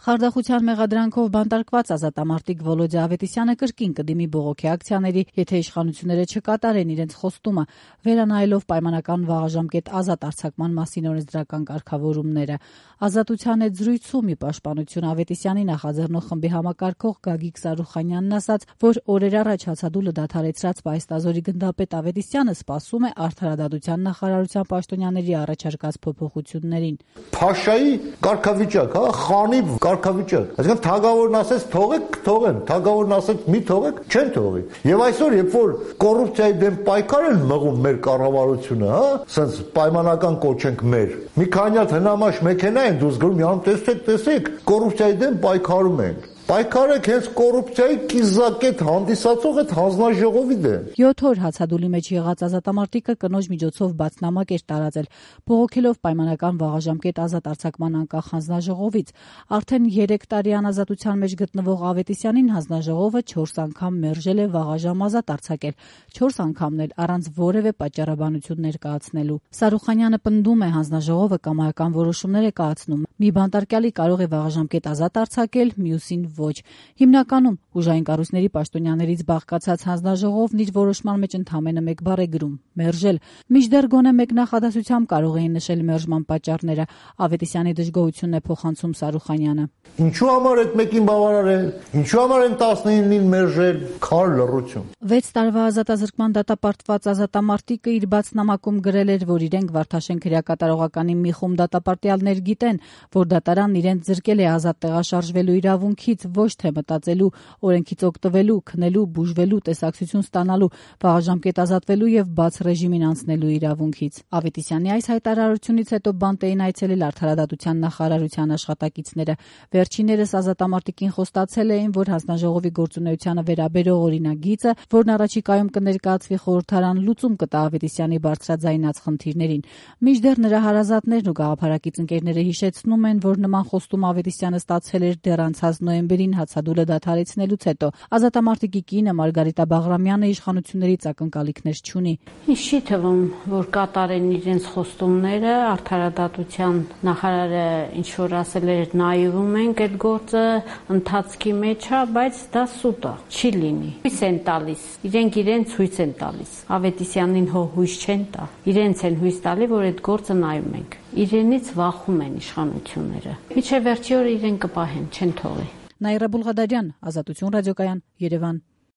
Խարդախության մեղադրանքով բանտարկված ազատամարտիկ Վոլոդյա Ավետիսյանը կրկին կդիմի բողոքի ակցիաների, եթե իշխանությունները չկատարեն իրենց խոստումը, վերանայելով պայմանական վաղաժամկետ ազատ արձակման մասին օրենսդրական կարգավորումները։ Ազատության հետ զրույցում ի պաշտպանություն Ավետիսյանի նախաձեռնող խմբի համակարգող Գագիկ Սարուխանյանն ասաց, որ օրեր առաջ հացադուլը դադարեցրած Պայստազորի գնդապետ Ավետիսյանը սպասում է Արդարադատության նախարարության պաշտոնյաների առաջարկած փոփոխություններին։ Փաշայի կարգավիճակ, խանի կարգավիճակ։ Այսինքն թագավորն ասեց թողեք, թողեն, թագավորն ասեց մի թողեք, չեն թողի։ Եվ այսօր, երբ որ կոռուպցիայի դեմ պայքար են մղում մեր կառավարությունը, սենց պայմանական կոչենք մեր։ Մի քանի հատ հնամաշ մեքենա են դուրս գնում, յանում տեսեք, կոռուպցիայի դեմ պայքարում են։ Պայքարեք հենց կոռուպցիայի կիզակետ հանդիսացող այդ հանձնաժողովի դեմ։ 7 օր հացադուլի մեջ եղած ազատամարտիկը կնոջ միջոցով բացնամակ էր տարածել, բողոքելով պայմանական վաղաժամկետ ազատ արձակման անկախ հանձնաժողովից։ Արդեն 3 տարի անազատության մեջ գտնվող Ավետիսյանին հանձնաժողովը 4 անգամ մերժել է վաղաժամ ազատ արձակել, 4 անգամն էլ առանց որևէ պատճառաբանություն ներկայացնելու։ Սարուխանյանը պնդում է, հանձնաժողովը կամայական որոշումներ է կայացնում։ Մի բանտարկյալի կարող է վաղաժամկետ ազատ արձակել, մյուսին ոչ։ Հիմնականում ուժային կառույցների պաշտոնյաներից բաղկացած հանձնաժողովն իր որոշման մեջ ընդամենը մեկ բառ է գրում՝ մերժել։ Մինչդեռ գոնե մեկ նախադասությամբ կարող էին նշել մերժման պատճառները։ Ավետիսյանի դժգոհությունն է փոխանցում Սարուխանյանը։ Ինչու համար այդ մեկին բավարարել, ինչու համար են 19-ին մերժել, քար լռություն։ 6 տարվա ազատազրկման դատապարտված ազատամարտիկը իր բացնամակում գրել էր, որ իրենք Վարդաշենք հրակատարողականի մի խումբ դատապարտյալներ գիտեն, որ դատարանն իրենց զրկել է ազատ տեղաշարժվելու իրավունքից, ոչ թե մտածելու, օրենքից օգտվելու, քնելու, բուժվելու, տեսակցություն ստանալու, վաղաժամկետ ազատվելու եւ բաց ռեժիմին անցնելու իրավունքից։ Ավետիսյանի այս հայտարարությունից հետո բանտ էին այցելել Արդարադատության նախարարության աշխատակիցները։ Վերջիններս ազատամարտիկին խոստացել էին, որ հանձնաժողովի գործունեությանը վերաբերող օրինագիծը, որն առաջիկայում կներկայացվի խորհրդարան, լուծում կտա Ավետիսյանի բարձրաձայնած խնդիրներին։ Մինչդեռ նրա հարազատներն ու գաղափարակից ընկերները հիշեցնում են, որ նման խոստում Ավետիսյանը ստացել էր դեռ անցած նոյեմբերին հացադուլը դադարեցնելուց հետո։ Ազատամարտիկի կինը Մարգարիտա Բաղրամյանը իշխանություններից ակնկալիքներ չունի։ Ինչ չի թվում, որ կատարեն իրենց խոստումները, Արդարադատության նախարարը ինչ որ ասել էր, նայվում ենք այդ գործը ընթացքի մեջ է, բայց դա սուտ է, չի լինի։ Հույս են տալիս, իրենց հույս են տալիս։ Ավետիսյանին հույս չեն տա։ Իրենց են հույս տալի, որ այդ գործը նայում ենք։ Իրենից վախում են իշխանությունները։ Միջև վերջի օրը իրեն կպահեն, չեն թողի։ Նաիրա Բուլղադարյան, Ազատություն ռադիոկայան, Երևան։